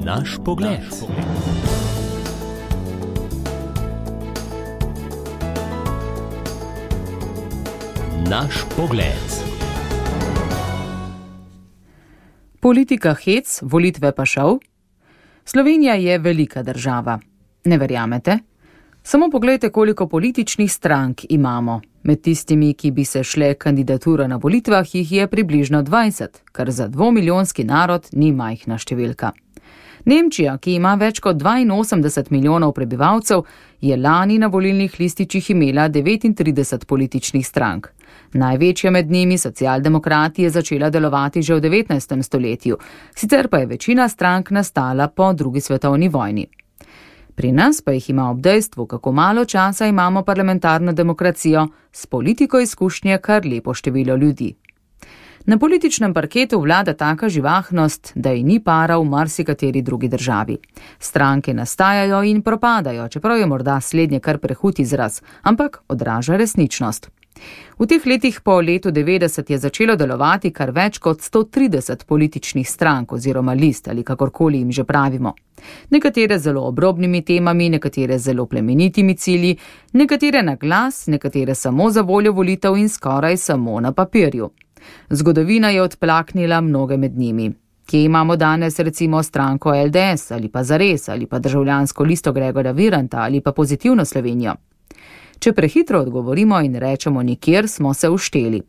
Naš pogled. Naš pogled. Politika hec, volitve pa šov? Slovenija je velika država. Ne verjamete? Samo poglejte, koliko političnih strank imamo. Med tistimi, ki bi se šle kandidatura na volitvah, jih je približno 20, kar za 2-milijonski narod ni majhna številka. Nemčija, ki ima več kot 82 milijonov prebivalcev, je lani na volilnih lističih imela 39 političnih strank. Največja med njimi, socialdemokrati, je začela delovati že v 19. stoletju, sicer pa je večina strank nastala po drugi svetovni vojni. Pri nas pa jih ima ob dejstvu, kako malo časa imamo parlamentarno demokracijo, s politiko izkušnje kar lepo število ljudi. Na političnem parketu vlada taka živahnost, da ji ni para v marsikateri drugi državi. Stranke nastajajo in propadajo, čeprav je morda slednje kar prehud izraz, ampak odraža resničnost. V teh letih po letu 90 je začelo delovati kar več kot 130 političnih strank oziroma list ali kakorkoli jim že pravimo. Nekatere zelo obrobnimi temami, nekatere zelo plemenitimi cilji, nekatere na glas, nekatere samo za voljo volitev in skoraj samo na papirju. Zgodovina je odplaknila mnoge med njimi. Kje imamo danes recimo stranko LDS ali pa Zares ali pa državljansko listo Gregorja Viranta ali pa Pozitivno Slovenijo? Če prehitro odgovorimo in rečemo nikjer, smo se ušteli.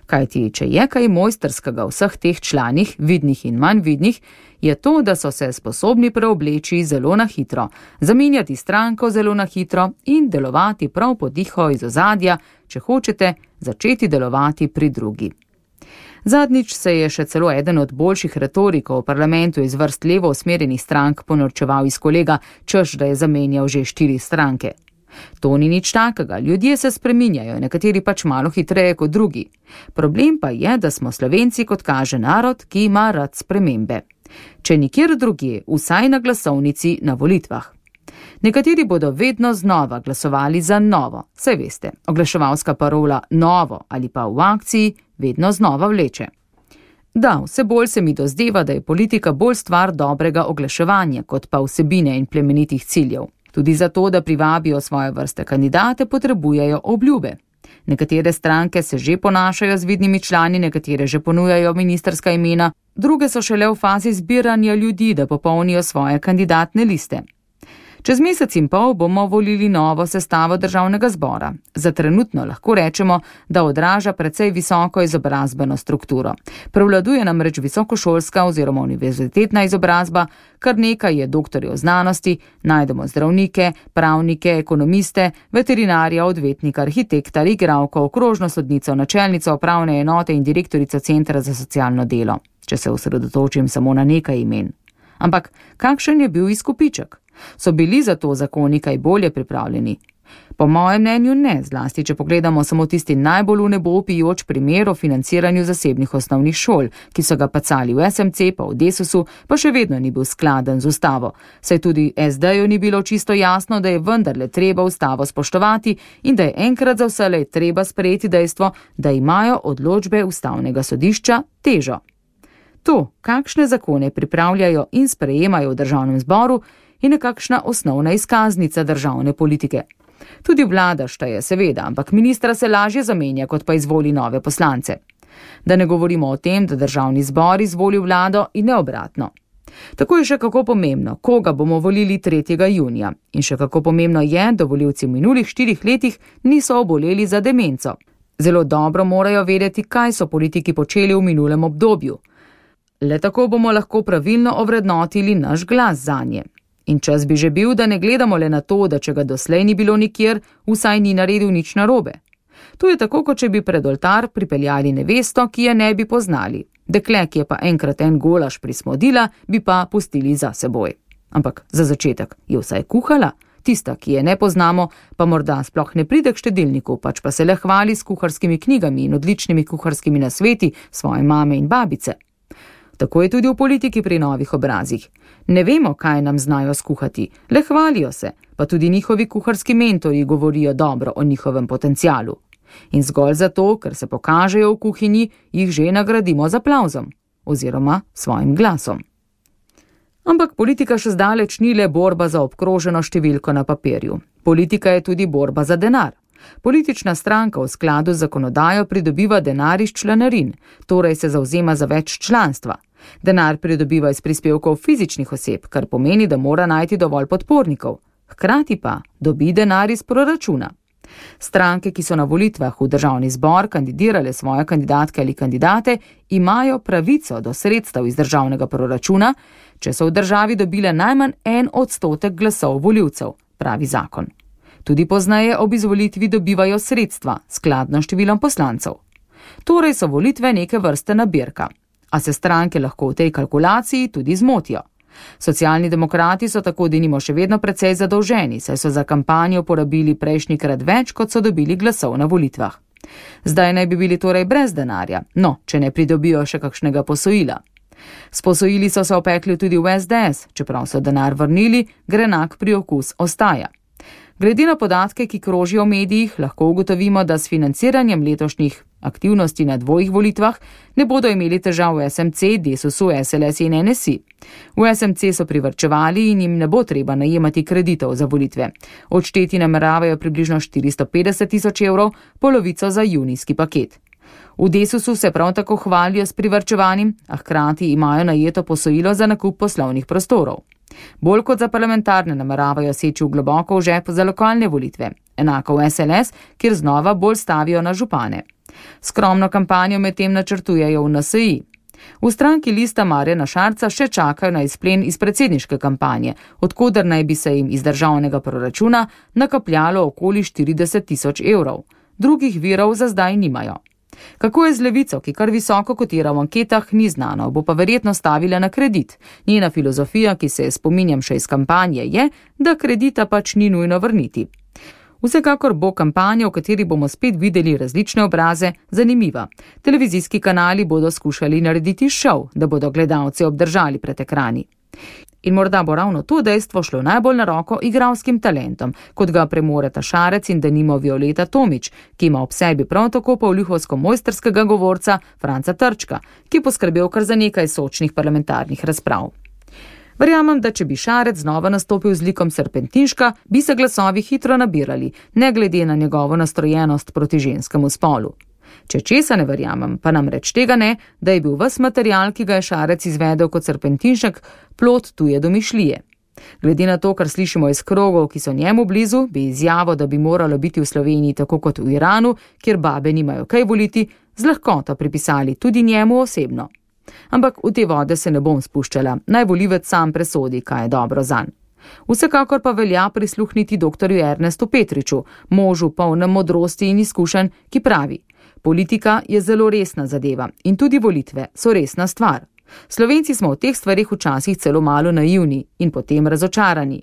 Kajti, če je kaj mojstrskega v vseh teh članih, vidnih in manj vidnih, je to, da so se sposobni preobleči zelo na hitro, zamenjati stranko zelo na hitro in delovati prav pod diho iz ozadja, če hočete, začeti delovati pri drugi. Zadnjič se je še celo eden od boljših retorikov v parlamentu iz vrst levo usmerjenih strank ponorčeval iz kolega, češ da je zamenjal že 4 stranke. To ni nič takega, ljudje se spreminjajo, nekateri pač malo hitreje kot drugi. Problem pa je, da smo Slovenci, kot kaže, narod, ki ima rad spremembe. Če nikjer drugje, vsaj na glasovnici na volitvah. Nekateri bodo vedno znova glasovali za novo, saj veste, oglaševalska parola novo ali pa v akciji vedno znova vleče. Da, vse bolj se mi dozdeva, da je politika bolj stvar dobrega oglaševanja, kot pa vsebine in plemenitih ciljev. Tudi zato, da privabijo svoje vrste kandidate, potrebujejo obljube. Nekatere stranke se že ponašajo z vidnimi člani, nekatere že ponujajo ministrska imena, druge so šele v fazi zbiranja ljudi, da popolnijo svoje kandidatne liste. Čez mesec in pol bomo volili novo sestavo državnega zbora. Za trenutno lahko rečemo, da odraža precej visoko izobrazbeno strukturo. Prevladuje namreč visokošolska oziroma univerzitetna izobrazba, kar nekaj je doktorjev znanosti, najdemo zdravnike, pravnike, ekonomiste, veterinarja, odvetnika, arhitekta, igralko, okrožno sodnico, načelnico upravne enote in direktorico Centra za socialno delo, če se osredotočim samo na nekaj imen. Ampak kakšen je bil izkupiček? So bili za to zakoni kaj bolje pripravljeni? Po mojem mnenju ne, zlasti če pogledamo samo tisti najbolj v nebo vpijoč primer o financiranju zasebnih osnovnih šol, ki so ga pacali v SMC pa v Desusu, pa še vedno ni bil skladen z ustavo. Saj tudi SD-ju ni bilo čisto jasno, da je vendarle treba ustavo spoštovati in da je enkrat za vselej treba sprejeti dejstvo, da imajo odločbe ustavnega sodišča težo. To, kakšne zakone pripravljajo in sprejemajo v državnem zboru, je nekakšna osnovna izkaznica državne politike. Tudi vlada šteje seveda, ampak ministra se lažje zamenja, kot pa izvoli nove poslance. Da ne govorimo o tem, da državni zbor izvoli vlado in ne obratno. Tako je še kako pomembno, koga bomo volili 3. junija. In še kako pomembno je, da volivci v minulih 4 letih niso oboleli za demenco. Zelo dobro morajo vedeti, kaj so politiki počeli v minulem obdobju. Le tako bomo lahko pravilno ovrednotili naš glas zanje. In čas bi že bil, da ne gledamo le na to, da če ga doslej ni bilo nikjer, vsaj ni naredil nič narobe. To je tako, kot če bi pred oltar pripeljali nevesto, ki je ne bi poznali. Dekle, ki je pa enkrat en golaž prismodila, bi pa pustili za seboj. Ampak za začetek je vsaj kuhala, tista, ki je ne poznamo, pa morda sploh ne pride k štedilniku, pač pa se le hvali s kuharskimi knjigami in odličnimi kuharskimi nasveti svoje mame in babice. Tako je tudi v politiki pri novih obrazih. Ne vemo, kaj nam znajo skuhati, le hvalijo se, pa tudi njihovi kuharski mentorji govorijo dobro o njihovem potencialu. In zgolj zato, ker se pokažejo v kuhinji, jih že nagradimo z aplavzom oziroma svojim glasom. Ampak politika še zdaleč ni le borba za obkroženo številko na papirju. Politika je tudi borba za denar. Politična stranka v skladu z zakonodajo pridobiva denar iz članarin, torej se zavzema za več članstva. Denar pridobiva iz prispevkov fizičnih oseb, kar pomeni, da mora najti dovolj podpornikov. Hkrati pa dobi denar iz proračuna. Stranke, ki so na volitvah v državni zbor kandidirale svoje kandidatke ali kandidate, imajo pravico do sredstev iz državnega proračuna, če so v državi dobile najmanj 1% glasov volivcev, pravi zakon. Tudi pozneje ob izvolitvi dobivajo sredstva, skladno številom poslancev. Torej so volitve neke vrste nabirka, a se stranke lahko v tej kalkulaciji tudi zmotijo. Socialni demokrati so tako denimo še vedno precej zadolženi, saj so za kampanjo porabili prejšnjikrat več, kot so dobili glasov na volitvah. Zdaj naj bi bili torej brez denarja, če ne pridobijo še kakšnega posojila. S posojili so se opekli tudi v SDS, čeprav so denar vrnili, grenak priokus ostaja. Glede na podatke, ki krožijo v medijih, lahko ugotovimo, da s financiranjem letošnjih aktivnosti na dvojih volitvah ne bodo imeli težav v SMC, Desusu, SLS in NSI. V SMC so privarčevali in jim ne bo treba najemati kreditov za volitve. Odšteti nameravajo približno 450 000 evrov, polovico za junijski paket. V Desusu se prav tako hvalijo s privarčevanjem, a hkrati imajo najeto posojilo za nakup poslovnih prostorov. Bolj kot za parlamentarne nameravajo seči v globoko v žep za lokalne volitve, enako v SLS, kjer znova bolj stavijo na župane. Skromno kampanjo medtem načrtujejo v NSI. V stranki Lista Marjana Šarca še čakajo na izplen iz predsedniške kampanje, odkoder naj bi se jim iz državnega proračuna nakapljalo okoli 40 000 evrov. Drugih virov za zdaj nimajo. Kako je z Levico, ki kar visoko kotira v anketah, ni znano, bo pa verjetno stavila na kredit. Njena filozofija, ki se spominjam še iz kampanje, je, da kredita pač ni nujno vrniti. Vsekakor bo kampanja, v kateri bomo spet videli različne obraze, zanimiva. Televizijski kanali bodo skušali narediti šov, da bodo gledalci obdržali pred ekrani. In morda bo ravno to dejstvo šlo najbolj na roko igralskim talentom, kot ga premoreta Šarec in denimo Violeta Tomić, ki ima ob sebi prav tako pavlihovsko mojstrskega govorca Franca Trčka, ki poskrbel kar za nekaj sočnih parlamentarnih razprav. Verjamem, da če bi Šarec znova nastopil z likom Serpentinška, bi se glasovi hitro nabirali, ne glede na njegovo nastrojenost proti ženskemu spolu. Če česa ne verjamem, pa namreč tega ne, da je bil ves material, ki ga je Šarec izvedel kot Serpentinšek, plod tuje domišljije. Glede na to, kar slišimo iz krogov, ki so njemu blizu, bi izjavo, da bi moralo biti v Sloveniji tako kot v Iranu, kjer babe nimajo kaj voliti, z lahkoto pripisali tudi njemu osebno. Ampak v te vode se ne bom spuščala, naj volivec sam presodi, kaj je dobro zanj. Vsekakor pa velja prisluhniti doktorju Ernestu Petriču, možu polnem modrosti in izkušenj, ki pravi: politika je zelo resna zadeva in tudi volitve so resna stvar. Slovenci smo v teh stvarih včasih celo malo naivni in potem razočarani.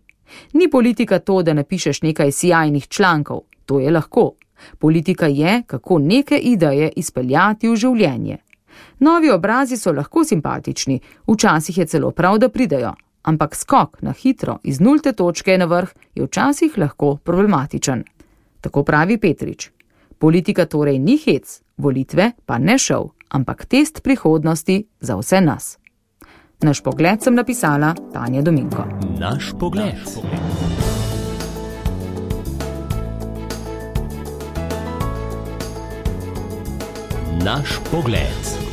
Ni politika to, da napišeš nekaj sijajnih člankov, to je lahko. Politika je, kako neke ideje izpeljati v življenje. Novi obrazi so lahko simpatični, včasih je celo prav, da pridejo, ampak skok na hitro iz nulte točke na vrh je včasih lahko problematičen. Tako pravi Petrič. Politika torej ni hec, volitve pa ne šov, ampak test prihodnosti za vse nas. Naš pogled sem napisala Tanja Dominko. Naš pogled. Naš pogled.